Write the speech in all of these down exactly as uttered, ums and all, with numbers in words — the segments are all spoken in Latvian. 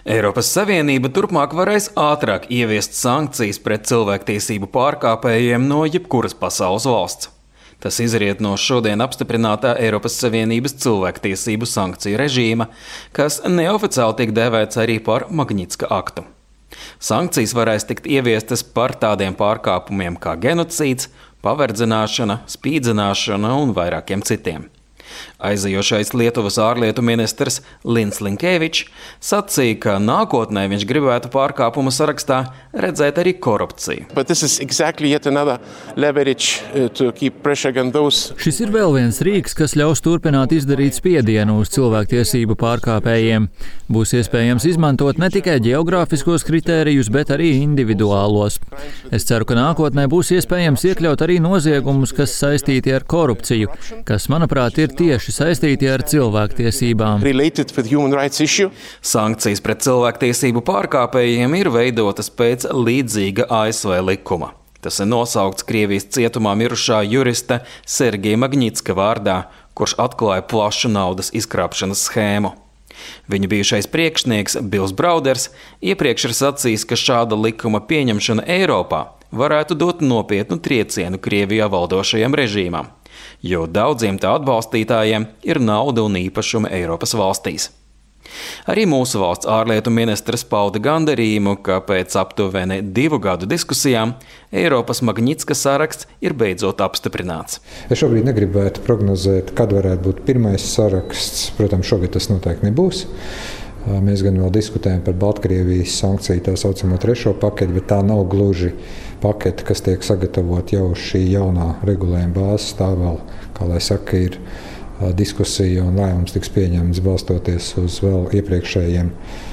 Eiropas Savienība turpmāk varēs ātrāk ieviest sankcijas pret cilvēktiesību pārkāpējiem no jebkuras pasaules valsts. Tas izriet no šodien apstiprinātā Eiropas Savienības cilvēktiesību sankciju režīma, kas neoficiāli tiek dēvēts arī par Magnitska aktu. Sankcijas varēs tikt ieviestas par tādiem pārkāpumiem kā genocīds, paverdzināšana, spīdzināšana un vairākiem citiem. Aizejošais Lietuvas ārlietu ministrs Lins Linkevičs sacīja, ka nākotnē viņš gribētu pārkāpumu sarakstā redzēt arī korupciju. Exactly Šis ir vēl viens rīks, kas ļaus turpināt izdarīt spiedienu uz cilvēktiesību pārkāpējiem. Būs iespējams izmantot ne tikai geogrāfiskos kritērijus, bet arī individuālos. Es ceru, ka nākotnē būs iespējams iekļaut arī noziegumus, kas saistīti ar korupciju, kas, manuprāt, ir tieši saistīti ar cilvēktiesībām. Sankcijas pret cilvēktiesību pārkāpējiem ir veidotas pēc līdzīga A S V likuma. Tas ir nosaukts Krievijas cietumā mirušā jurista Sergeja Magnitska vārdā, kurš atklāja plašu naudas izkrāpšanas schēmu. Viņa bijušais priekšnieks Bils Brauders iepriekš ir sacījis, ka šāda likuma pieņemšana Eiropā varētu dot nopietnu triecienu Krievijā valdošajam režīmam, jo daudziem tā atbalstītājiem ir nauda un īpašumi Eiropas valstīs. Arī mūsu valsts ārlietu ministrs pauda gandarījumu, ka pēc aptuveni divu gadu diskusijām Eiropas Magnitska saraksts ir beidzot apstiprināts. Es šobrīd negribētu prognozēt, kad varētu būt pirmais saraksts. Protams, šogad tas noteikti nebūs. Mēs gan vēl diskutējam par Baltkrievijas sankciju, tā saucamo trešo paketi, bet tā nav gluži paketi, kas tiek sagatavot jau šī jaunā regulējuma bāzes. Tā vēl, kā lai saka, ir diskusija un lēmums tiks pieņemts balstoties uz vēl iepriekšējiem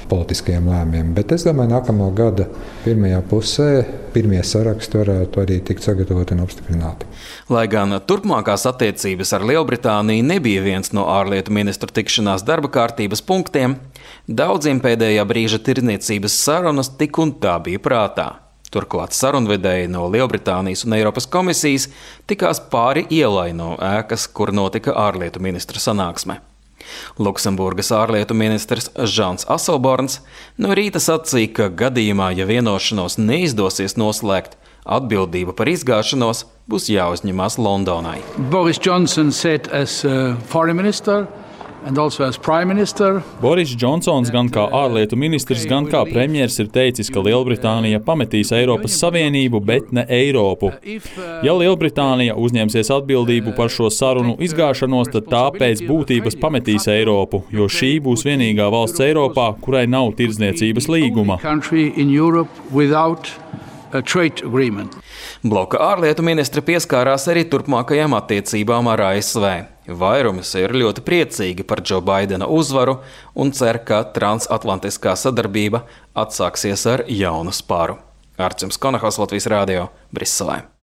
politiskajiem lēmumiem. Bet es domāju, nākamā gada pirmajā pusē pirmie saraksti varētu arī tikt sagatavoti un apstiprināti. Lai gan turpmākās attiecības ar Lielbritāniju nebija viens no ārlietu ministru tikšanās darba kārtības punktiem, daudziem pēdējā brīža tirdzniecības sarunas tik un tā bija prātā. Turklāt sarunvedēji no Lielbritānijas un Eiropas komisijas tikās pāri ielai no ēkas, kur notika ārlietu ministra sanāksme. Luksemburgas ārlietu ministrs Žans Aselborns no rīta sacīja, ka gadījumā, ja vienošanos neizdosies noslēgt, atbildība par izgāšanos būs jāuzņemās Londonai. Boris Johnson said as uh, foreign minister and also as prime minister. Boris Džonsons gan kā ārlietu ministrs, gan kā premjers ir teicis, ka Lielbritānija pametīs Eiropas Savienību, bet ne Eiropu. Ja Lielbritānija uzņemsies atbildību par šo sarunu izgāšanos, tad tā pēc būtības pametīs Eiropu, jo šī būs vienīgā valsts Eiropā, kurai nav tirdzniecības līguma. Bloka ārlietu ministri pieskārās arī turpmākajām attiecībām ar A S V. Vairums ir ļoti priecīgi par Džo Baidena uzvaru un cer, ka transatlantiskā sadarbība atsāksies ar jaunu spāru. Arčuns Konahos, Latvijas Rādio, Briselē.